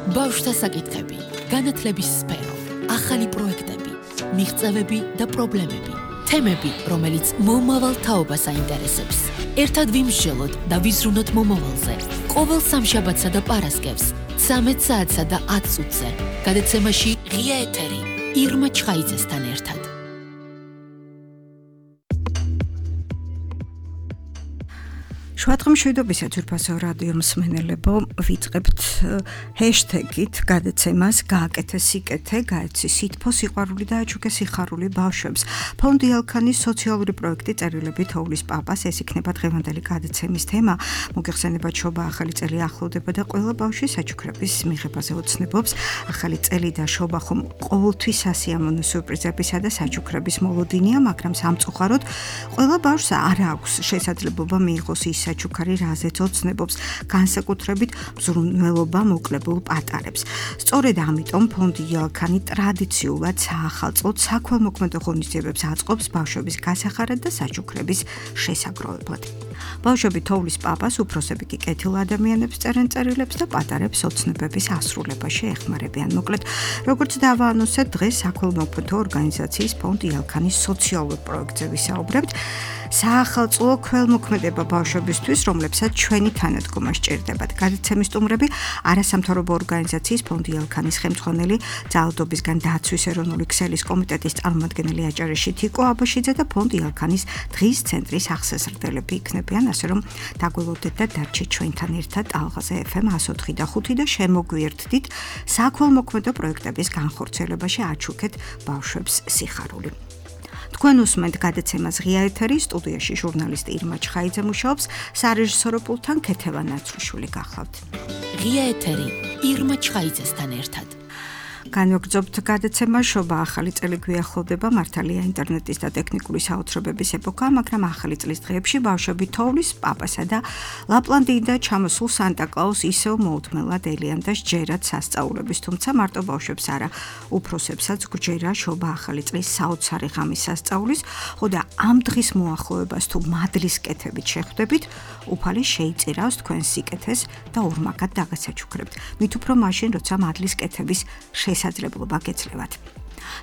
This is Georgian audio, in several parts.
ბავშვთა საკითხები, განათლების სფერო, ახალი პროექტები, მიღწევები და პრობლემები, თემები, რომელიც მომავალ თაობას აინტერესებს. ერთად ვიმსჯელოთ და ვიზრუნოთ მომავალზე. ყოველ სამშაბათსა და პარასკევს, 13 საათსა და 10 წუთზე. გადაცემაში ღია ეთერი, ირმა ჩხაიძესთან ერთად. შვადღმშვიდობისა ძვირფასო რადიო მსმენელებო, ვიწყებთ ჰეშტეგით გადაცემას გააკეთე სიკეთე, გაეცი სითბო, სიყვარული და აჩუქე სიხარული ბავშვებს. ფონდი ალქანის სოციალური პროექტი წერილები თოვლის პაპას, ეს იქნება დღევანდელი გადაცემის თემა. მოგეხსენებათ, შობა ახალი წელი ახლოვდება და ყველა ბავშვი საჩუქრების მიღებაზე ოცნებობს. ახალი წელი და შობა ხომ ყოველთვის სასიამოვნო სიურპრიზებისა და საჩუქრების მოლოდინია, მაგრამ სამწუხაროდ ყველა ბავშვს არ აქვს შესაძლებლობა მიიღოს ის საჩუქარი, რაზეც ოცნებობს, განსაკუთრებით მზრუნველობა მოკლებულ პატარებს. სწორედ ამიტომ ფონდი ალქანი ტრადიციულად საახალწლოდ საქველმოქმედო ღონისძიებებს აწყობს ბავშვების გასახარად და საჩუქრების შესაგროვებლად. ბავშვები თოვლის პაპას, უფროსები კი კეთილ ადამიანებს წერენ წერილებს და პატარებს ოცნებების ასრულებაში ეხმარებიან. მოკლედ, როგორც დავაანონსეთ, დღეს საქველმოქმედო ორგანიზაციის ფონდი ალქანის სოციალურ პროექტზე ვისაუბრებთ. საახალწლო ქველმოქმედება ბავშვებისთვის, რომლებსაც ჩვენი თანადგომა სჭირდებათ. გადაცემის სტუმრები არასამთავრობო ორგანიზაციის ფონდი ალქანის ხელმძღვანელი, ძალადობისგან დაცვის ეროვნული ქსელის კომიტეტის წარმომადგენელი აჭარაში თიკო აბაშიძე და ფონდი ალქანის დღის ცენტრის აღსაზრდელები იქნებიან, ასე რომ დაგველოდეთ და დარჩეთ ჩვენთან ერთად ალღაზე FM 104 და 5 და შემოგვიერთდით საქველმოქმედო პროექტების განხორციელებაში აჩუქეთ ბავშვებს სიხარული. თქვენ უსმენთ გადაცემას ღია ეთერი, სტუდიაში ჟურნალისტი ირმა ჩხაიძე მუშაობს, სარეჟისორო პულტთან ქეთევან ნაცრუშვილი გახლავთ. ღია ეთერი, ირმა ჩხაიძესთან ერთად. განვაგრძობთ გადაცემა, შობა ახალი წელი გვიახლოვდება, მართალია ინტერნეტის და ტექნიკური საოცრებების ეპოქა, მაგრამ ახალი წლის დღეებში ბავშვები თოვლის პაპასა და ლაპლანდიიდან ჩამოსულ სანტა-კლაუს ისევ მოუთმელად ელიან და სჯერათ სასწაულების, თუმცა მარტო ბავშვებს არა, უფროსებსაც გვჯერა შობა ახალი წლის საოცარი ღამის სასწაულის, ხო და ამ დღის მოახლოებას თუ მადლის კეთებით შეხვდებით, უფალი შეიწირავს თქვენ სიკეთეს და ორმაგად დაგასაჩუქრებთ. მით უფრო მაშინ, როცა მადლის კეთების შესაძლებლობა გეძლევათ.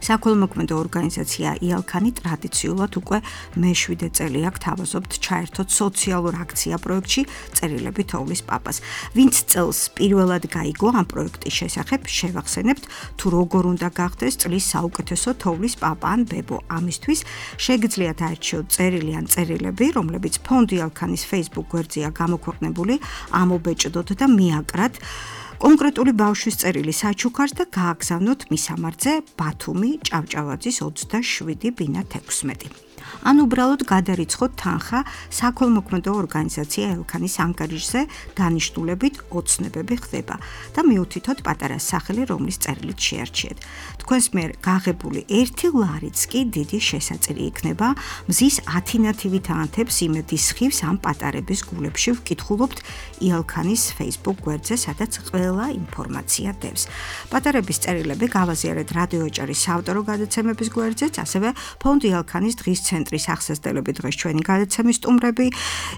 საქველმოქმედო ორგანიზაცია იალქანი ტრადიციულად უკვე მე-7 წელი აქ თავაზობთ ჩაერთოთ სოციალურ აქცია პროექტში წერილები თოვლის პაპას. ვინც წელს პირველად გაიგო ამ პროექტის შესახებ, შევახსენებთ თუ როგორ უნდა გახდეს წლის საუკეთესო თოვლის პაპა ან ბებო. ამისთვის შეგიძლიათ აერჩიოთ წერილი ან წერილები, რომლებიც ფონდი ალქანის Facebook გვერდზეა გამოქვეყნებული, ამობეჭდოთ და მიაკრათ კონკრეტული ბავშვის წერილი საჩუქარს და გააგზავნოთ მისამართზე ბათუმი, ჭავჭავაძის 27 ბინა 16. ან უბრალოდ გადარიცხოთ თანხა საქველმოქმედო ორგანიზაცია ელქანის ანგარიშზე, დანიშნულებით ოცნებები ხდება და მიუთითოთ პატარა სახელი, რომლის წერილით შეარჩიეთ. თქვენს მიერ გაღებული 1 ლარიც კი დიდი შესაწირი იქნება. მზის 10 თანთებს იმედის ხივს ამ პატარების გულებში ვკითხულობთ იალქანის Facebook გვერდზე, სადაც ყველა ინფორმაცია დევს. პატარების წერილები გავაზიარეთ რადიო აჭარის საავტორო გადაცემების გვერდზეც, ასევე ფონდი ალქანის დღის ცენტრის აღსაზრდელები დღეს ჩვენი გადაცემის სტუმრები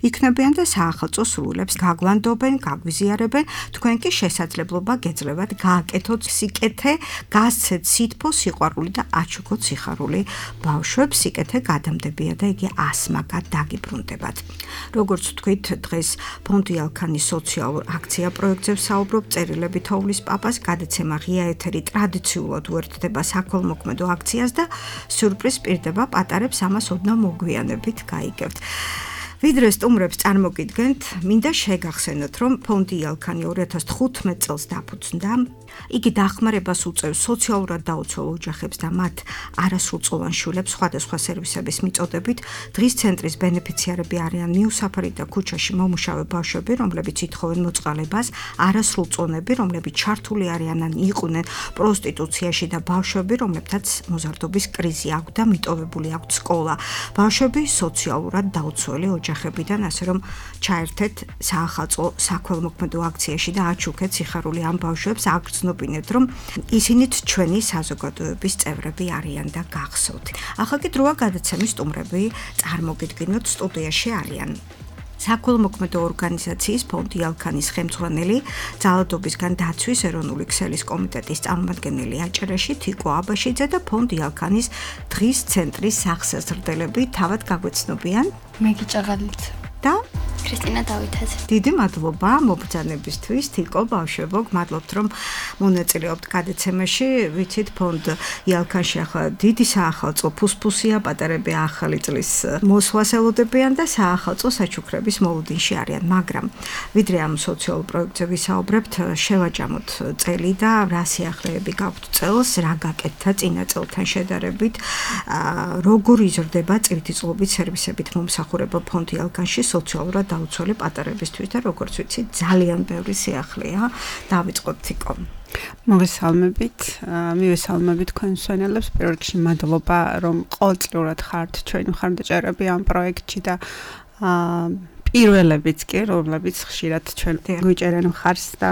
იქნებიან და საახალწლო სრულებს გაგვანდობენ, გაგვიზიარებენ. თქვენ კი შესაძლებლობა გეძლევათ გააკეთოთ სიკეთე, გასცეთ სითბო, სიყვარული და აჩუქოთ სიხარული ბავშვებს. სიკეთე გადამდებია და იგი ასმაგად დაგიბრუნდებათ. როგორც ვთქვით, დღეს ფონდი ალქანის სოციალურ აქცია პროექტზე ვსაუბრობთ, წერილები თოვლის პაპას, გადაცემა ღია ეთერი ტრადიციულად უერთდება საქველმოქმედო აქციას და სიურპრიზ პირდება პატარებს, ამას ოდნავ მოგვიანებით გაიგებთ. ვიდრე სტუმრებს წარმოგიდგენთ, მინდა შეგახსენოთ, რომ ფონდი ალქანი 2015 წელს დაფუძნდა. იგი დახმარებას უწევს სოციალურად დაუცველ ოჯახებს და მათ არასრულწლოვან შვილებს სხვადასხვა სერვისების მიწოდებით. დღის ცენტრის ბენეფიციარები არიან მიუსაფარი და ქუჩაში მომუშავე ბავშვები, რომლებიც ითხოვენ მოწყალებას, არასრულწლოვნები, რომლებიც ჩართული არიან ან იყვნენ პროსტიტუციაში და ბავშვები, რომლებთაც მოზარდობის კრიზი აქვთ და მიტოვებული აქვთ სკოლა. ბავშვები სოციალურად დაუცველი ოჯახებიდან, ასე რომ ჩაერთეთ საახალწლო საქველმოქმედო აქციაში და აჩუქეთ სიხარული ამ ბავშვებს, აგრძნობინეთ, რომ ისინიც ჩვენი საზოგადოების წევრები არიან და გახსოვთ. ახლა კი დროა გადაცემის სტუმრები წარმოგიდგინოთ, სტუდიაში არიან საქველმოქმედო ორგანიზაციის ფონდი ალქანის ხელმძღვანელი, ძალადობისგან დაცვის ეროვნული ქსელის კომიტეტის წარმომადგენელი აჭარაში თიკო აბაშიძე და ფონდი ალქანის დღის ცენტრის სახსაზრდელები თავად გაგვეცნობიან. მე გიჭაღალით და ქრისტინა დავითაძე. დიდი მადლობა მობრძანებისთვის, თიკო ბავშვებო, გმადლობთ რომ მონაწილეობთ გადაცემაში. ვიცით, ფონდ იალქანში ახლა დიდი საახალწლო ფუსფუსია, პატარები ახალი წლის მოსვლას ელოდებიან და საახალწლო საჩუქრების მოლოდინში არიან, მაგრამ ვიდრე ამ სოციალურ პროექტზე ვისაუბრებთ, შევაჯამოთ წელი და რა სიახლეები გაქვთ წელს, რა გაკეთდა წინა წელთან შედარებით, როგორ იზრდება წლითი წყლობით სერვისებით მომსახურება ფონდ იალქანში სოციალურად დაუცველი პატარებისთვის და როგორც ვიცი, ძალიან ბევრი სიახლეა. დავიწყოთ თიკო. მოგესალმებით, მივესალმებით თქვენ მსმენელებს. პირველ რიგში მადლობა, რომ ყოველწლიურად ხართ ჩვენი მხარდაჭერები ამ პროექტში და პირველებიც კი, რომლებიც ხშირად ჩვენ გვიჭერენ მხარს და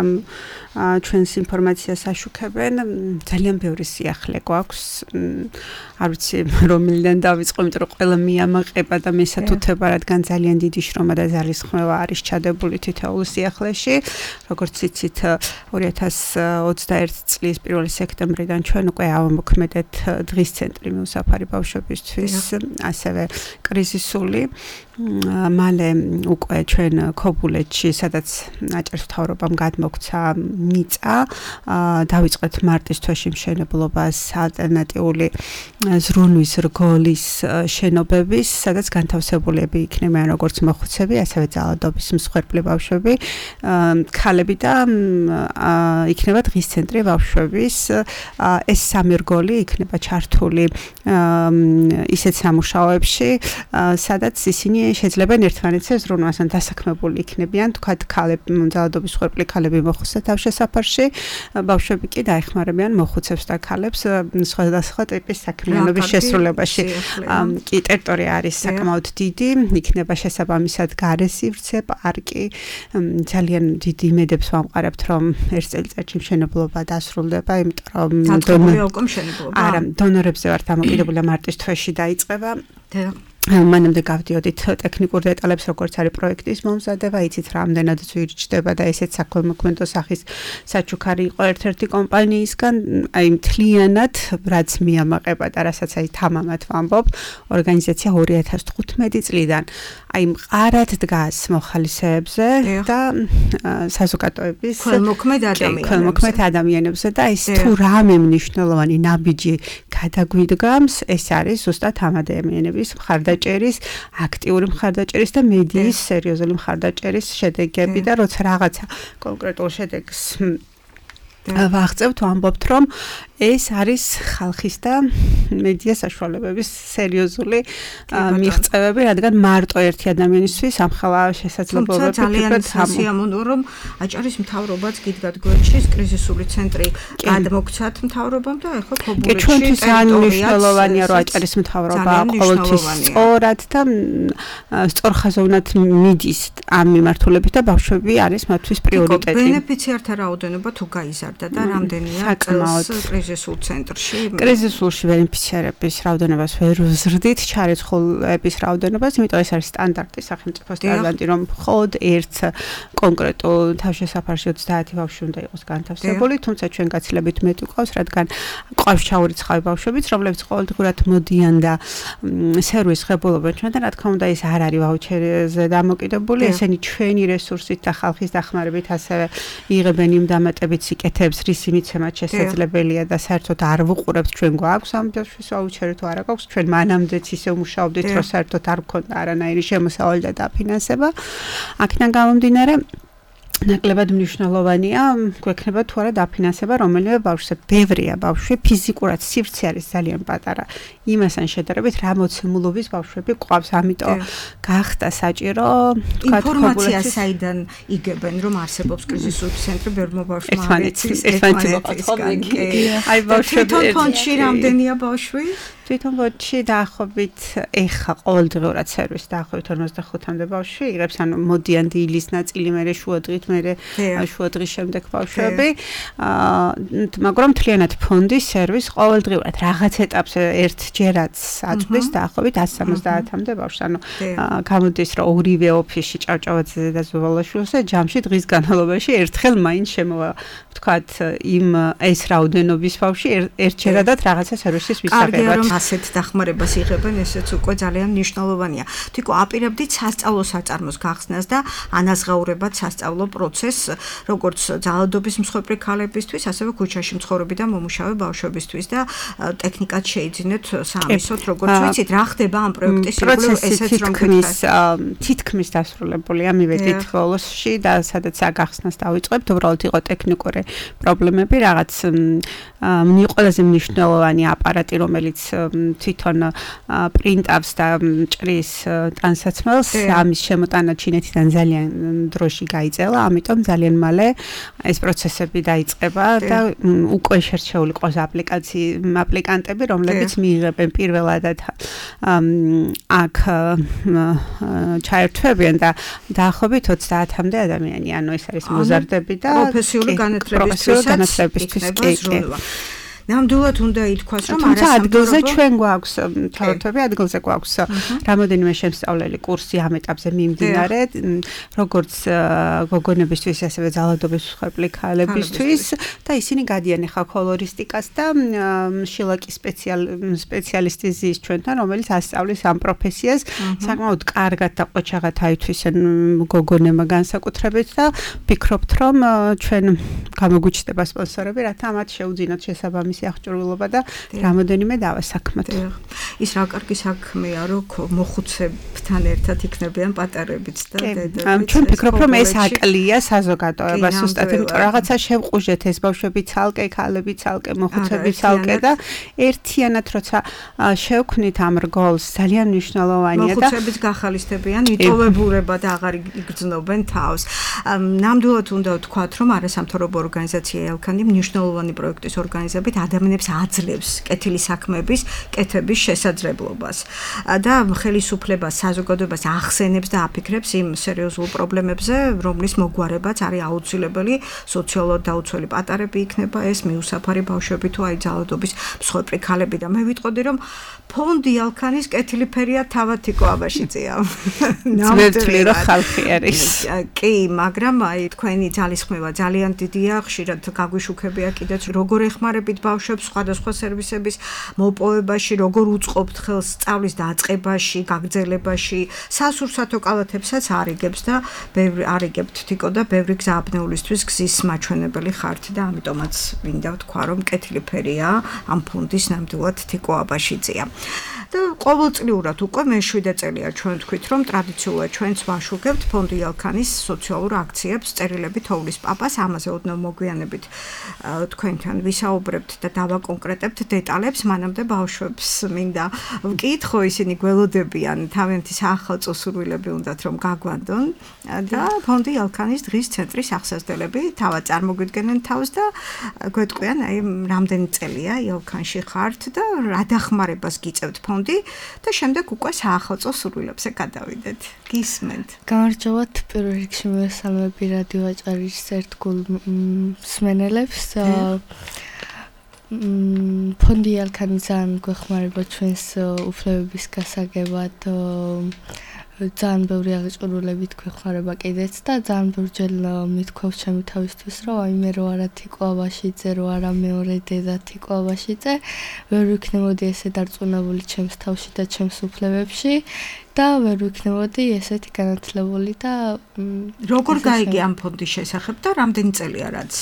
ჩვენს ინფორმაციას აშუქებენ, ძალიან ბევრი სიახლე გვაქვს. არ ვიცი რომელიდან დავიწყო, იმიტომ რომ ყველა მიამაყება და მესათუთება, რადგან ძალიან დიდი შრომა და ძალისხმევა არის ჩადებული თითოეულ სიახლეში. როგორც იცით, 2021 წლის 1 სექტემბრიდან ჩვენ უკვე ავამოქმედეთ დღის ცენტრი მიუსაფარი ბავშვებისთვის, ასევე კრიზისული. მალე უკვე ჩვენ ქობულეთში, სადაც აჭარის მთავრობამ გადმოგცა მიწა, დავიწყეთ მარტის თვეში მშენებლობას ალტერნატიული ზრუნვის რგოლის შენობების, სადაც განთავსებულები იქნებიან როგორც მოხუცები, ასევე ძალადობის მსხვერპლი ბავშვები, ქალები და იქნება დღის ცენტრი ბავშვების. ეს სამი რგოლი იქნება ჩართული ისეთ სამუშაოებში, სადაც ისინი შეძლებენ ერთმანეთზე ზრუნვას, ან დასაქმებული იქნებიან, თქვათ ქალები, ძალადობის მსხვერპლი ქალები მოხუცთა თავშესაფარში, ბავშვები კი დაეხმარებიან მოხუცებს და ქალებს სხვადასხვა ტიპის საქმიანობის შესრულებაში. კი ტერიტორია არის საკმაოდ დიდი, იქნება შესაბამისად გარესივრცე, პარკი. ძალიან დიდი იმედებს ვამყარებთ, რომ ერთ წელიწადში მშენებლობა დასრულდება, იმიტომ რომ არა, დონორებზე ვართ დამოკიდებული, მარტის თვეში დაიწყება. მანამდე გავდიოდით ტექნიკურ დეტალებს, როგორც არის პროექტის მომზადება, იცით რამდენად ძვირჩდება და ესეც საქველმოქმედო სახის საჩუქარი იყო ერთ-ერთი კომპანიისგან, აი მთლიანად რაც მიამაყება და რასაც აი თამამად ვამბობ, ორგანიზაცია 2015 წლიდან აი მყარად დგას მოხალისეებზე და საზოგადოების ქველმოქმედ ადამიანებზე და ის თუ რამე მნიშვნელოვანი ნაბიჯი გადაგვიდგამს, ეს არის ზუსტად ამ ადამიანების მხარდაჭერის, აქტიური მხარდაჭერის და მედიის სერიოზული მხარდაჭერის შედეგები და როცა რაღაცა კონკრეტულ შედეგს ვაღწევთ, ვამბობთ, რომ ეს არის ხალხის და მედია საშუალებების სერიოზული მიღწევები, რადგან მარტო ერთი ადამიანისთვის ამხელა შესაძლებლობები ძალიან სასიამოვნოა, რომ აჭარის მთავრობაც გიდგათ გვერდში კრიზისული ცენტრი გადმოგცათ მთავრობამ და ახლა ქობულეთში ჩვენთვის ძალიან მნიშვნელოვანია, რომ აჭარის მთავრობა ყოველთვის სწორად და სწორხაზოვნად მიდის ამ მიმართულებით და ბავშვები არის მათთვის პრიორიტეტი. ბენეფიციართა რაოდენობა თუ გაიზარდა და რამდენია კრიზისულ ცენტრში? კრიზისულში ბენეფიციარების რაოდენობას ვერ ვზრდით, ჩარეცხულების რაოდენობას, იმიტომ ეს არის სტანდარტი სახელმწიფოს სტანდარტი, რომ მხოლოდ ერთ კონკრეტულ თავშესაფარში 30 ბავშვი უნდა იყოს განთავსებული, თუმცა ჩვენ გაცილებით მეტი გვყავს, რადგან გვყავს ჩაურიცხავი ბავშვებიც, რომლებიც ყოველდღურად მოდიან და სერვის ღებულობენ ჩვენ და რა თქმა უნდა ეს არ არის ვაუჩერზე დამოკიდებული, ესენი ჩვენი რესურსით და ხალხის დახმარებით ასევე იღებენ იმ დამატებით სიკეთეებს, რისი მიცემაც შესაძლებელია და საერთოდ არ ვუყურებთ ჩვენ გვაქვს ამ ბავშვის ვაუჩერი თუ არა გვაქვს, ჩვენ მანამდეც ისე ვმუშაობდით, რომ საერთოდ არ გქონდა არანაირი შემოსავალი და დაფინანსება. აქედან გამომდინარე ნაკლებად მნიშვნელოვანია გვექნება თუ არა დაფინანსება რომელიმე ბავშვზე. ბევრია ბავშვი, ფიზიკურად სივრცე არის ძალიან პატარა. იმასთან შედარებით რა მოცემულობის ბავშვები გვყავს, ამიტომ გახდა საჭირო თქვა ინფორმაცია საიდან იგებენ, რომ არსებობს კრიზისული ცენტრი ბევრმა ბავშვმა ერთმანეთი მოყოლა. აი ბავშვები თვითონ ფონდში რამდენია ბავშვი? თვითონ ფონდში დაახლოებით ეხა ყოველდღიურად სერვისი დაახლოებით 45-მდე ბავშვი იღებს, ანუ მოდიან დილის ნაწილი, მერე შუადღით მერე შუა დღის შემდეგ ბავშვები. მაგრამ მთლიანად ფონდის სერვისი ყოველდღიურად რაღაც ეტაპზე ერთჯერაც აწვდის დაახლოებით 170-მდე ბავშვს. ანუ გამოდის რომ ორივე ოფისში ჭავჭავაძეზე და ზუვალაშვილზე ჯამში დღის განმავლობაში ერთხელ მაინც შემოვა ვთქვათ იმ ეს რაოდენობის ბავშვი ერთჯერადად რაღაცა სერვისის მისაღებად. კარგია რომ ასეთ დახმარებას იღებენ, ესეც უკვე ძალიან მნიშვნელოვანია. თვითონ აპირებდით სასწავლო საწარმოს გახსნას და ანაზღაურებად სასწავლო პროცესს, როგორც ძალადობის მსხვერპლი ქალებისთვის, ასევე ქუჩაში მცხოვრები და მომუშავე ბავშვებისთვის და ტექნიკად შეიძინეთ სამისოთ, როგორც ვიცით, რა ხდება ამ პროექტის ირგვლივ, ესეც რომ თითქმის დასრულებულია მივედით ბოლოსში და სადაც აგახსნას დავიწყებთ, უბრალოდ იყო ტექნიკური პრობლემები, რაღაც ყველაზე მნიშვნელოვანი აპარატი, რომელიც თვითონ პრინტავს და ჭრის ტანსაცმელს, ამის შემოტანა ჩინეთიდან ძალიან დროში გაიწელა, ამიტომ ძალიან მალე ეს პროცესები დაიწყება და უკვე შერჩეული ყავს აპლიკანტები, რომლებიც მიიღებენ პირველადად აქ ჩაერთვებიან და დაახლოებით 30-მდე ადამიანი, ანუ ეს არის მოზარდები და პროფესიული განათლებისთვის კი. ნამდვილად უნდა ითქვას, რომ თუმცა ადგილზე ჩვენ გვაქვს თავრთვები, ადგილზე გვაქვს რამოდენიმე შემსწავლელი კურსი ამ ეტაპზე მიმდინარე, როგორც გოგონებისთვის, ასევე ძალადობის მსხვერპლი ქალებისთვის და ისინი გადიან ახლა კოლორისტიკას და შილაკის სპეციალისტი ზის ჩვენთან, რომელიც ასწავლის ამ პროფესიას, საკმაოდ კარგად და ყოჩაღად აითვისენ გოგონებმა განსაკუთრებით და ვფიქრობთ, რომ ჩვენ გამოგვიჩნდება სპონსორები, რათა მათ შეუძინოთ შესაბამისი აღჭურვილობა და რამოდენიმე დავასაქმოთ. ის რა კარგი საქმეა, რომ მოხუცებთან ერთად იქნებიან პატარებიც და დედებიც. ჩვენ ვფიქრობ, რომ ეს აკლია საზოგადოებას ზუსტად, იმიტომ რაღაცა შევყუჟეთ ეს ბავშვები ცალკე, ქალები ცალკე, მოხუცები ცალკე და ერთიანად როცა შევქმნით ამ რგოლს, ძალიან მნიშვნელოვანია და მოხუცებიც გახალისდებიან, იტოვებურება და აღარ იგრძნობენ თავს. ნამდვილად უნდა ვთქვათ, რომ არასამთავრობო ორგანიზაცია ელქანი მნიშვნელოვანი პროექტის ორგანიზებით ადამიანებს აძლევს კეთილი საქმეების კეთების შესაძლებლობას და ხელისუფლებას, საზოგადოებას ახსენებს და აფიქრებს იმ სერიოზულ პრობლემებზე, რომლის მოგვარებაც არის აუცილებელი, სოციალურად დაუცველი პატარები იქნება ეს, მიუსაფარი ბავშვები თუ აი ძალადობის მსხვერპლი ქალები და მე ვიტყოდი, რომ ფონდი ალქანის კეთილი ფერია თავად თიკო აბაშიძეა. ნამდვილი რომ ხალხი არის. კი, მაგრამ აი თქვენი ძალისხმევა ძალიან დიდია, ხშირად გაგვიშუქებია კიდეც როგორ ეხმარებით ბავშვებს სხვადასხვა სერვისების მოპოვებაში, როგორ უწყობთ ხელს სწავლის დაწყებაში, გაგრძელებაში, სასურსათო კალათებსაც არიგებს და არიგებთ თიკო და ბევრი გზაბნეულისთვის გზის მაჩვენებელი ხართ და ამიტომაც მინდა ვთქვა, რომ კეთილი ფერია ამ ფონდის ნამდვილად თიკო აბაშიძეა. და ყოველწლიურად უკვე მე-7 წელია ჩვენ თქვით, რომ ტრადიციულად ჩვენც ვაშუქებთ ფონდი ალქანის სოციალურ აქციებს, წერილები თოვლის პაპას, ამაზე ოდნავ მოგვიანებით თქვენთან ვისაუბრებთ და დავაკონკრეტებთ დეტალებს, მანამდე ბავშვებს მინდა ვკითხო, ისინი გველოდებიან, თავიანთი საახალწლო სურვილები უნდათ რომ გაგვანდონ და ფონდი ალქანის დღის ცენტრის აღსაზრდელები თავად წარმოგვიდგენენ თავს და გვეტყვიან, აი რამდენი წელია ალქანში ხართ და რა დახმარებას გიწევთ ფონდი და შემდეგ უკვე საახალწლო სურვილებზე გადავიდეთ. გისმენთ. გამარჯობათ, პირველ რიგში მივესალმები რადიო აჭარის ერთგულ მსმენელებს. ფონდი ალქანი ძალიან გვეხმარება ჩვენს უფლებების გასაგებად. ძალიან ბევრი აღჭურვილებით გვეხმარება კიდეც და ძალიან ბევრჯერ მithქვავს ჩემი თავისთვის, რომ აი მე რო არა თიკო აბაშიძე, რო არა მეორე დედა თიკო აბაშიძე, ვერ ვიქნებოდი ესე დარწმუნებული ჩემს თავში და ჩემს უფლებებში და ვერ ვიქნებოდი ესეთი განათლებული და როგორ გაიგე ამ ფონდის შესახებ და რამდენი წელია რაც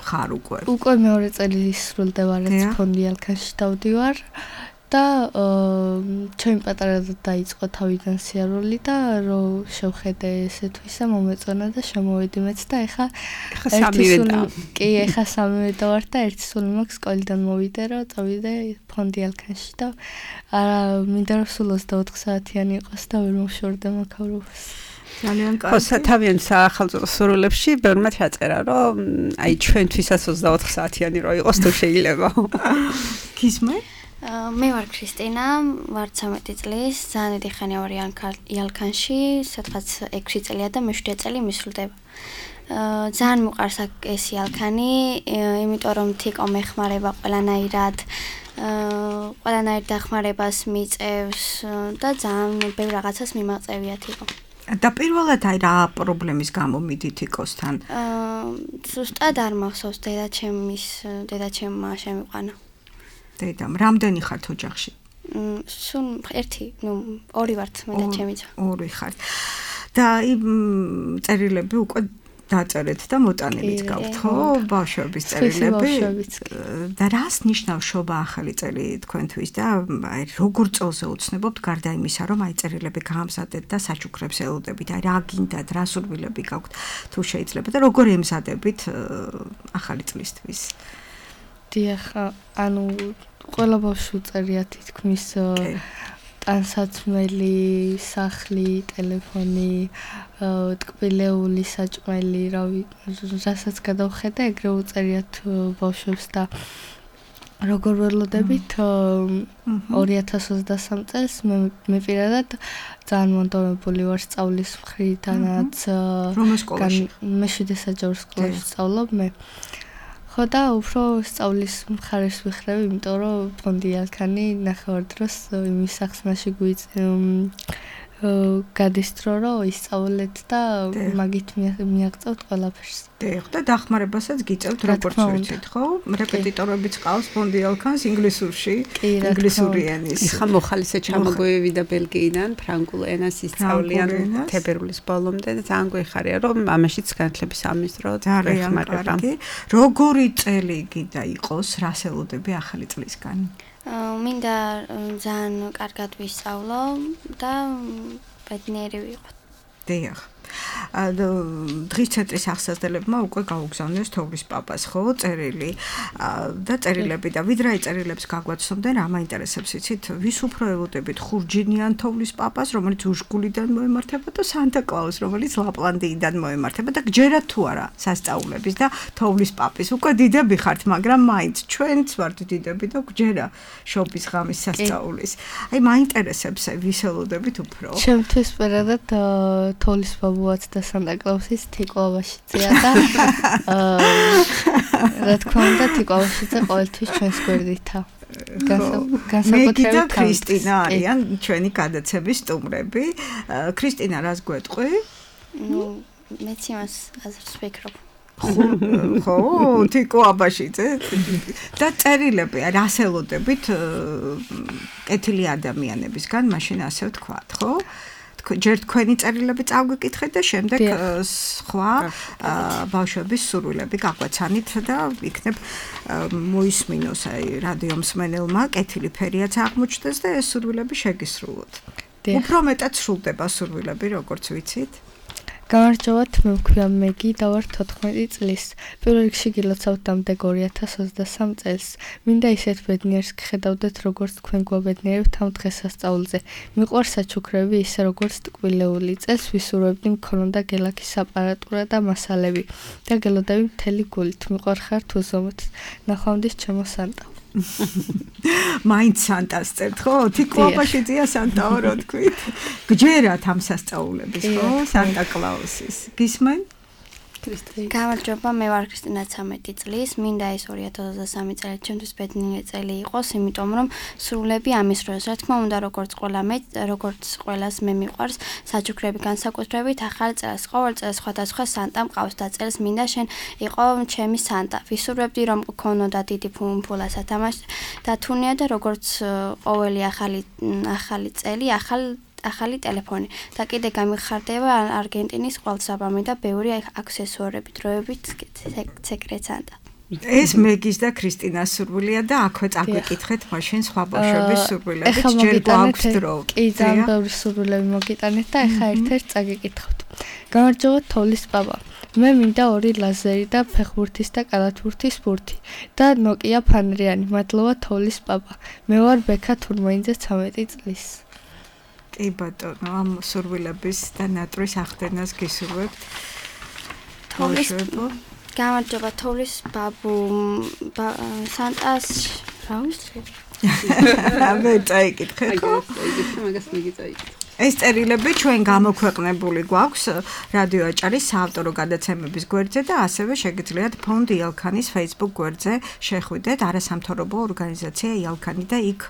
ხარ უკვე? უკვე მეორე წელი სრულდება რაც ფონდი ალქანში დავდივარ. და ჩემი პატარად დაიწყო თავიდან სიარული და რო შევხედე ესე თუ ისა მომეწონა და შემოვედი მეც და ეხა სამივე და ვარ და ერთი სული მაქვს სკოლიდან მოვიდე რომ წავიდე ფონდი ალქანში და არა მინდა რომ სულ 24 საათიანი იყოს და ვერ მოვშორდე მაქავრობას. ძალიან კარგი. თავიანთ საახალწლო სურვილებში ბევრმა ჩაწერა რომ აი ჩვენთვისაც 24 საათიანი რო იყოს თუ შეიძლება. გისმე? მე ვარ ქრისტინა, ვარ 13 წლის, ძალიან დიდი ხანია ვარ ალქანში, სადღაც 6 წელია და მე 7 წელი მისვლდება. ძალიან მიყვარს ეს ალქანი, იმიტომ რომ თიკო მეხმარება ყველანაირად დახმარებას მიწევს და ძალიან ბევრ რაღაცას მიმაწევია თიკო. და პირველად რა პრობლემის გამო მიდით თიკოსთან? ზუსტად არ მახსოვს, დედაჩემმა შემიყვანა. დედამ, რამდენი ხართ ოჯახში? სულ ერთი, ორი ვართ მე და ჩემიცა. ორი ხართ. და წერილები უკვე დაწერეთ და მოტანილიც გაქვთ, ხო? ბავშვების წერილები. და რას ნიშნავს შობა ახალი წელი თქვენთვის და აი როგორ წელზე უცნებობთ გარდა იმისა, რომ აი წერილები გაამზადეთ და საჩუქრებს ელოდებით, აი რა გინდათ, რა სურვილები გაქვთ, თუ შეიძლება და როგორ ემზადებით ახალი წლისთვის? დიახ, ანუ ყველა ბავშვი წერია თითქმის ტანსაცმელი, სახლი, ტელეფონი, ტკბილეული, საჭმელი, რასაც გადავხედე, ეგრე უწერიათ ბავშვებს და როგორ ველოდებით 2023 წელს მე პირადად ძალიან მონდომებული ვარ სწავლის მხრიდანაც. რომელ სკოლაში? მე 7 საჯარო სკოლაში სწავლობ მე. ხო და უფრო სწავლის მხარეს ვიხრევ, იმიტომ რომ ფონდი ალქანი ნახევარდროს იმის სახსნაში გადის დრო, რომ ისწავლეთ და მაგით მიაღწევთ ყველაფერს. და დახმარებასაც გიწევთ როგორც ვიცით, ხო? რეპეტიტორებიც ყავს ფონდი ალქანს ინგლისურში, ინგლისური ენის. ხა მოხალისე ჩამოგვევიდა ბელგიიდან, ფრანგულ ენას ისწავლიან თებერვლის ბოლომდე და ძალიან გვეხარია, რომ ამაშიც განათლების სამინისტროს დახმარება. როგორი წელი გინდა იყოს, რას ელოდები ახალი წლისგან? მინდა ძალიან კარგად ვისწავლო და ბედნიერი ვიყო. დიახ. დღის ცენტრის აღსაზრდებმა უკვე გაუგზავნეს თოვლის პაპას, ხო, წერილი და წერილები და ვიდრე წერილებს გაგვაცნობდნენ, რა მაინტერესებს იცით, ვის უფრო ელოდებით ხურჯინიან თოვლის პაპას, რომელიც უშგულიდან მოემართება და სანტა კლაუს, რომელიც ლაპლანდიიდან მოემართება და გჯერათ თუ არა სასწაულების და თოვლის პაპის. უკვე დიდები ხართ, მაგრამ მაინც ჩვენც ვართ დიდები და გჯერა შობის ღამის სასწაულის. აი მაინტერესებს ვის ელოდებით უფრო. ჩემთვის პირადად თოვლის ბაბუაც და სანტა კლაუსის თიკო აბაშიძეა და რა თქმა უნდა თიკო აბაშიძე ყოველთვის ჩვენს გვერდითა. განსაკუთრებით მე და ქრისტინა არიან ჩვენი გადაცების სტუმრები. ქრისტინა რას გვეტყვი? მეც იმას აზრს ვფიქრობ. ხო, თიკო აბაშიძე და წერილები რას ელოდებით კეთილი ადამიანებისგან, მაშინ ასე ვთქვათ, ხო? ჯერ თქვენი წერილები წავგეკითხეთ და შემდეგ სხვა ბავშვების სურვილები გაგვაცანით და იქნებ მოისმინოს აი რადიო მსმენელმა კეთილი ფერიაც აღმოჩნდეს და ეს სურვილები შეგისრულოთ. უფრო მეტად სრულდება სურვილები, როგორც ვიცით. გამარჯობათ, მე ვქვია მეგი და ვარ 14 წლის. პირველ რიგში გილოცავთ დამდეგ 2023 წელს. მინდა ისეთ ბედნიერს გხედავდეთ, როგორც თქვენ გვაბედნიერებთ ამ დღესასწაულზე. მიყვარს საჩუქრები ისე როგორც ტკბილეული. წელს ვისურვებდი მქონოდა გელაქის აპარატურა და მასალები და გელოდები მთელი გულით. მიყვარხართ უზომოდ. ნახვამდის ჩემო სანტა. მაინც სანტას წერთ, ხო? თიკო აბაშიძეა სანტაო რო თქვით. გჯერათ ამ სასწაულების, ხო? სანტა კლაუსის. გისმენ? გამარჯობა, მე ვარ ქრისტინა 13 წლის. მინდა ეს 2023 წელი ჩემთვის ბედნიერი წელი იყოს, იმიტომ რომ სრულები ამის დროს, რა თქმა უნდა, როგორც ყველას მე მიყვარს საჩუქრები განსაკუთრებით ახალი წელს. ყოველ წელს სხვადასხვა სანტა მყავს და წელს მინდა შენ იყო ჩემი სანტა. ვისურვებდი რომ გქონოდა დიდი ფულა სათამაშო და თუნია და როგორც ყოველი ახალი წელი, ახალი ტელეფონი და კიდე გამიხარდება არგენტინის ყველსაბამი და ბევრი აქსესუარები, დროებით სეკრეტ სანტა. ეს მეგის და ქრისტინას სურვილია და აქვე წაგვიკითხეთ მაშინ სხვა ბავშვების სურვილებით, ჯერ გვაქვს დრო. კი, ძალიან ბევრი სურვილები მოგიტანეთ და ეხა ერთ-ერთ წაგიკითხავთ. გამარჯობა თოვლის პაპა. მე მინდა 2 ლაზერი და ფეხბურთის და კალათბურთის ბურთი და ნოკია ფანრიანი. მადლობა თოვლის პაპა. მე ვარ ბექა თურმოინძე 13 წლის. კი ბატონო, ამ სურვილების და ნატრის ახდენას გისურვებთ. გამარჯობა თოვლის ბაბუ სანტას რა ვიცი. მე წაიკითხე, ხო? მაგას მიგი წაიკითხე. ეს წერილები ჩვენ გამოქვეყნებული გვაქვს რადიო აჭარის საავტორო გადაცემების გვერდზე და ასევე შეგიძლიათ ფონდ იალქანის Facebook გვერდზე შეხვიდეთ არასამთავრობო ორგანიზაცია იალქანი და იქ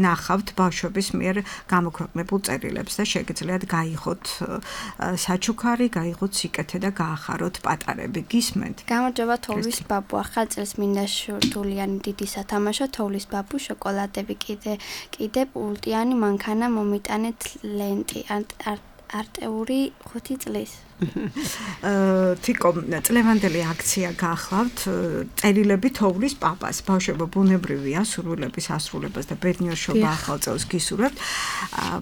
ნახავთ ბავშვების მიერ გამოქვეყნებულ წერილებს და შეგიძლიათ გაიღოთ საჩუქარი, გაიღოთ სიკეთე და გაახაროთ პატარები. გისმენთ? გამარჯობა თოვლის ბაბუ, ახალ წელს მინდა შურთულიანი დიდი სათამაშო თოვლის ბაბუ შოკოლადები კიდე პულტიანი მანქანა მომიტანეთ ლენტი არტეული 5 წლის. თიკო წლევანდელი აქცია გახლავთ წერილები თოვლის პაპას ბავშვებო ბუნებრივია სურვილების ასრულებას და ბედნიერშობა ახალ წელს გისურვებთ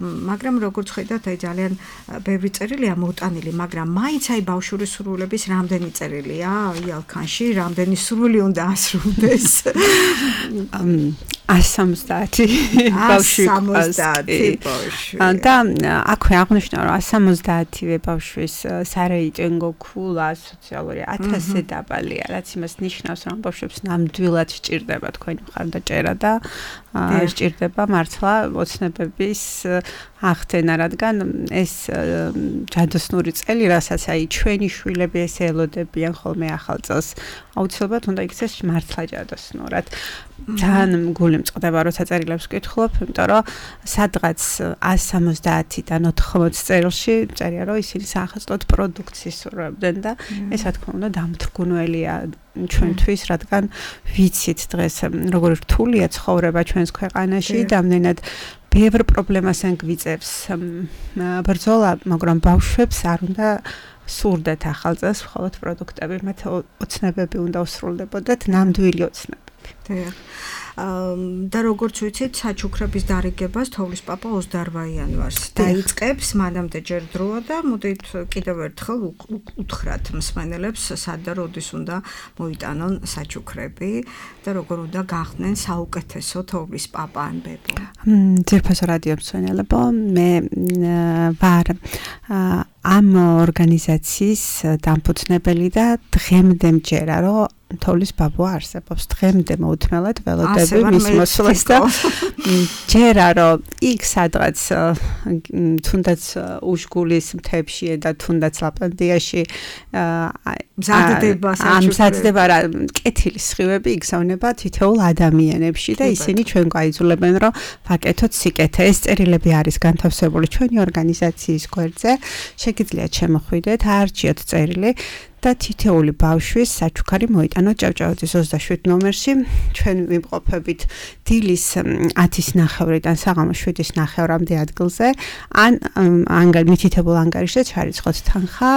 მაგრამ როგორც ხედავთ აი ძალიან ბევრი წერილია მოტანილი მაგრამ მაინც აი ბავშვური სურვილების რამდენი წერილია იალქანში რამდენი სურვილი უნდა ასრულდეს 170 ბავშვი და აქვე აღნიშნა რომ 170-ვე ბავშვის სარეიტინგო ქულა სოციალური 1000 დაბალია, რაც იმას ნიშნავს, რომ ბავშვებს ნამდვილად სჭირდება თქვენი მხარდაჭერა და სჭირდება მართლა ოცნებების ახდენა, რადგან ეს ჯადოსნური წელი, რასაც აი ჩვენი შვილები ესე ელოდებიან ხოლმე ახალ წელს, აუცილებლად უნდა იქცეს მართლა ჯადოსნურად. ძალიან გული მწყდება, როცა წერილებს ვკითხულობ, იმიტომ რომ სადღაც 170-დან 80 წერილში წერია, რომ ისინი საახალწლოდ პროდუქტს ისურვებდნენ და ეს რა თქმა უნდა დამთრგუნველია ჩვენთვის, რადგან ვიცით დღეს როგორი რთულია ცხოვრება ჩვენს ქვეყანაში, რამდენად ბევრ პრობლემას გვიწევს ბრძოლა, მაგრამ ბავშვებს არ უნდა სურდეთ ახალ წელს მხოლოდ პროდუქტები, მათ ოცნებები უნდა უსრულდებოდათ, ნამდვილი ოცნებები. და როგორც ვიცით, საჩუქრების დარიგებას თოვლის პაპა 28 იანვარს დაიწყებს, მანამდე ჯერ დროა და მოდით კიდევ ერთხელ უთხრათ მსმენელებს, სად და როდის უნდა მოიტანონ საჩუქრები და როგორ უნდა გახდნენ საუკეთესო თოვლის პაპა ან ბებო. ძირფასო რადიო მსმენელებო, მე ვარ ამ ორგანიზაციის დამფუძნებელი და დღემდე მჯერა, რომ თოვლის ბაბუ არსებობს დღემდე მოუთმელად ველოდები მის მოსვლას და ჯერა რომ იქ სადღაც თუნდაც უშგულის მთებში და თუნდაც ლაპლანდიაში მზადდება რა კეთილის სხივები იგზავნება თითოეულ ადამიანებში და ისინი ჩვენ გაიძულებენ რომ ვაკეთოთ სიკეთე. ეს წერილები არის განთავსებული ჩვენი ორგანიზაციის გვერდზე, შეგიძლიათ შემოხვიდეთ, აარჩიოთ წერილი და თითოეული ბავშვის საჩუქარი მოიტანოთ ჭავჭავაძის 27 ნომერში. ჩვენ ვიმყოფებით დილის 10:09-დან საღამოს 7:09-მდე ადგილზე. ან მითითებულ ანგარიშზე ჩარიცხოთ თანხა,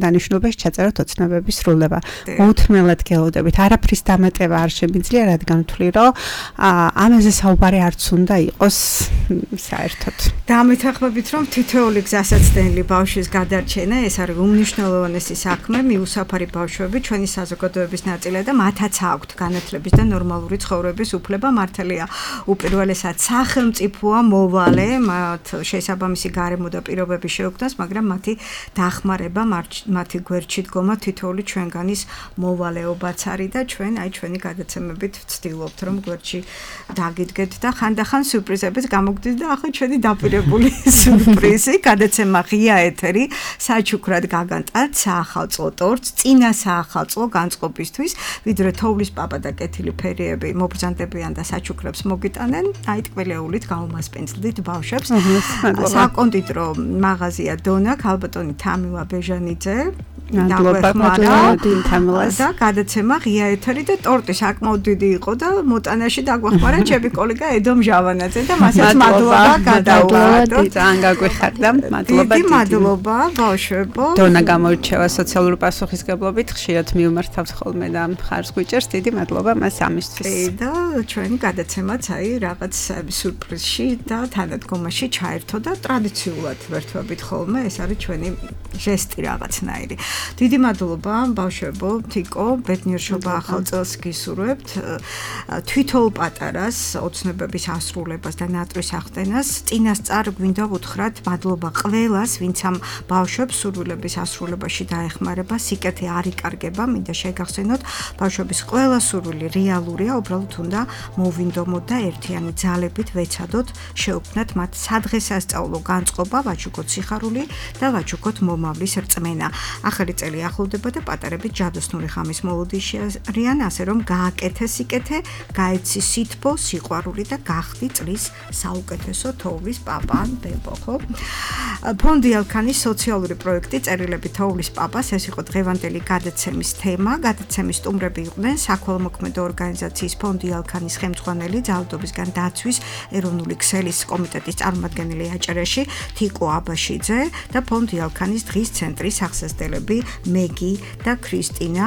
დანიშნულებას ჩაწეროთ ოცნებების სრულდება. მოუთმელად გელოდებით, არაფრის დამატება არ შემიძლია, რადგან ვთვლი, რომ ამაზე საუბარი არც უნდა იყოს საერთოდ. დამეთანხმებით, რომ თითოეული გზასაცდენილი ბავშვის გადარჩენა ეს არის უმნიშვნელოვანესი საქმე, მიუსაფარი ბავშვები ჩვენი საზოგადოების ნაწილია და მათაც აქვთ განათლების და ნორმალური ცხოვრების უფლება. მართალია, უპირველესად სახელმწიფოა მოვალე მათ შესაბამისი გარემო და პირობები შეუქმნას, მაგრამ მათი დახმარება, მათი გვერდში დგომა თითოეული ჩვენგანის მოვალეობაც არის და ჩვენ აი ჩვენი გადაცემებით ვცდილობთ, რომ გვერდში დაგიდგეთ და ხანდახან სიურპრიზებით გამოგდით და ახლა ჩვენი დაპირებული სიურპრიზი, გადაცემა ღია ეთერი, საჩუქრად გაგანტათ საახალწლო ტორტს, წინა საახალწლო განწყობისთვის, ვიდრე თოვლის პაპა და კეთილი ფერიები მობრძანდებიან და საჩუქრებს მოგიტანენ, აი ტკბილეულით გაუმასპინძლდით ბავშვებს. საკონდიტრო მაღაზია დონა, ქალბატონი თამილა ბეჟანიძე, და გადაცემა ღია ეთერი და ტორტი საკმაოდ დიდი იყო და მოტანაში დაგვახმარა ჩემი კოლეგა ედომ ჟავანაძე და მასაც მადლობა გადაუვარდოთ. ძალიან გაგვიხარდა, მადლობა. დიდი მადლობა ბავშვებო. დონა გამოირჩევა სოციალური პასუხისგებლობით, ხშირად მიუმართავთ ხოლმე და მხარს გვიჭერს, დიდი მადლობა მას ამისთვის. და ჩვენი გადაცემაც აი რაღაც სიურპრიზში და თანადგომაში ჩაერთო და ტრადიციულად ვერთვებით ხოლმე, ეს არის ჩვენი ჟესტი რაღაცნაირი. დიდი მადლობა ბავშვებო, თიკო, ბედნიერშობა ახალ წელს გისურვებთ. თვითონ პატარას ოცნებების ასრულებას და ნატრის ახდენას წინასწარ გვინდა ვუთხრათ მადლობა ყველას, ვინც ამ ბავშვებს სურვილების ასრულებაში დაეხმარება. სიკეთე არ იკარგება, მინდა შეგახსენოთ, ბავშვების ყველა სურვილი რეალურია, უბრალოდ უნდა მოვინდომოთ და ერთიანი ძალებით ვეცადოთ შეუქმნათ მათ სადღესასწაულო განწყობა, ვაჩუქოთ სიხარული და ვაჩუქოთ მომავლის რწმენა. ახალი წელი ახლოვდება და პატარები ჯადოსნური ხამის მოლოდინში არიან, ასე რომ გააკეთე სიკეთე, გაეცი სითბო, სიყვარული და გახდი წლის საუკეთესო თოვლის პაპა ან ბებო, ხო? ფონდი ალქანის სოციალური პროექტი წერილები თოვლის პაპას, ეს იყო დღევანდელი გადაცემის თემა. გადაცემის სტუმრები იყვნენ საქველმოქმედო ორგანიზაციის ფონდი ალქანის ხელმძღვანელი, ძალადობისგან დაცვის ეროვნული ქსელის კომიტეტის წარმომადგენელი აჭარაში თიკო აბაშიძე და ფონდი ალქანის დღის ცენტრის ახსასდელები მეგი და ქრისტინა.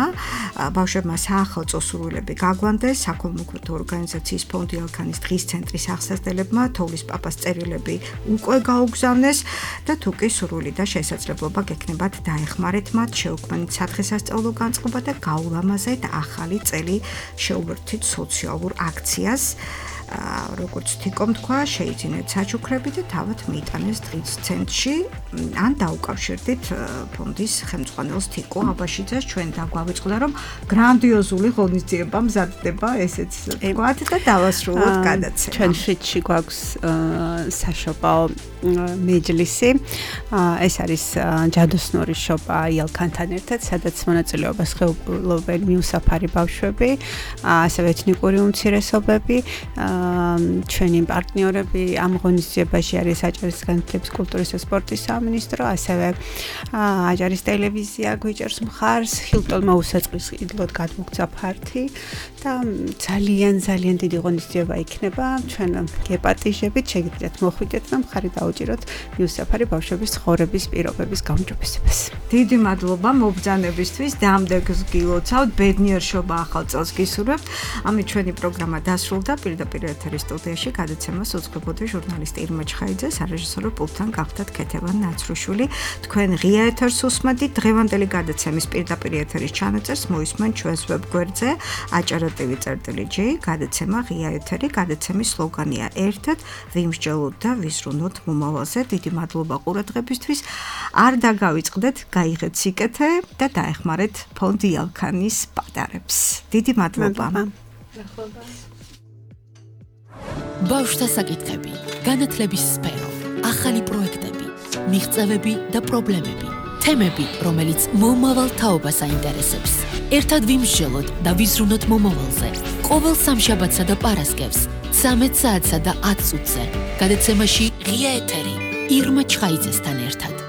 ბავშვებმა საახალწლო სურვილები გაგვანდეს. საქველმოქმედო ორგანიზაციის ფონდი ალქანის დღის ცენტრის ახსასდელებმა თოვლის პაპას წერილები უკვე გაუგზავნეს და თუ კი სურვილი და შესაძლებლობა გექნებათ დაეხმარეთ მათ, შეუქმნით სადღესასწაულო განწყობა და გაულამაზეთ ახალი წელი, შეუერთდით სოციალურ აქციას. როგორც თიკომ თქვა, შეიძინეთ საჩუქრები და თავად მიიტანეს დღის ცენტრში, ან დაუკავშირდით ფონდის ხელმძღვანელს თიკო აბაშიძეს. ჩვენ დაგვავიწყდა, რომ გრანდიოზული ღონისძიება მზადდება, ესეც ვთქვათ და დავასრულოთ გადაცემა. ჩვენ შეთში გვაქვს საშობაო მეჯლისი. ეს არის ჯადოსნური შობა იალქანთან ერთად, სადაც მონაწილეობას ხეობენ მიუსაფარი ბავშვები, ასევე ეთნიკური უმცირესობები. ჩვენი პარტნიორები ამ ღონისძიებაში არის აჭარის განათლების, კულტურის და სპორტის სამინისტრო, ასევე აჭარის ტელევიზია გვიჭერს მხარს, ჰილტონმა უსაწყის ყიდლოდ გადმოგცა ფართი და ძალიან დიდი ღონისძიება იქნება. ჩვენ გეპატიჟებით, შეგიძლიათ მოხვიდეთ და მხარი დაუჭიროთ მიუსაფარი ბავშვების ცხოვრების პირობების გაუმჯობესებას. დიდი მადლობა მობრძანებისთვის, დამდეგს გილოცავთ, ბედნიერშობა ახალ წელს გისურვებთ. ამით ჩვენი პროგრამა დასრულდა. პირდაპირ ეთერის სტუდიაში გადაცემას უძღვებოდა ჟურნალისტი ირმა ჩხაიძე, სარეჟისორო პულტთან გახდათ ქეთევან ნაცრუშვილი. თქვენ ღია ეთერს უსმენთ. დღევანდელი გადაცემის პირდაპირ ეთერის ჩანაწერს მოისმენ ჩვენს ვებგვერდზე acara.tv.j. გადაცემა ღია ეთერი. გადაცემის სლოგანია ერთად ვიმსჯელოთ და ვიზრუნოთ მომავალზე. დიდი მადლობა ყურადღებისთვის. არ დაგავიწყდეთ, გაიღეთ სიკეთე და დაეხმარეთ ფონდი ალქანის პატარებს. დიდი მადლობა. ბავშვთა საკითხები, განათლების სფერო, ახალი პროექტები, მიღწევები და პრობლემები, თემები, რომელიც მომავალ თაობას აინტერესებს. ერთად ვიმსჯელოთ და ვიზრუნოთ მომავალზე. ყოველ სამშაბათსა და პარასკევს 13 საათსა და 10 წუთზე. გადაცემაში ღია ეთერი ირმა ჩხაიძესთან ერთად.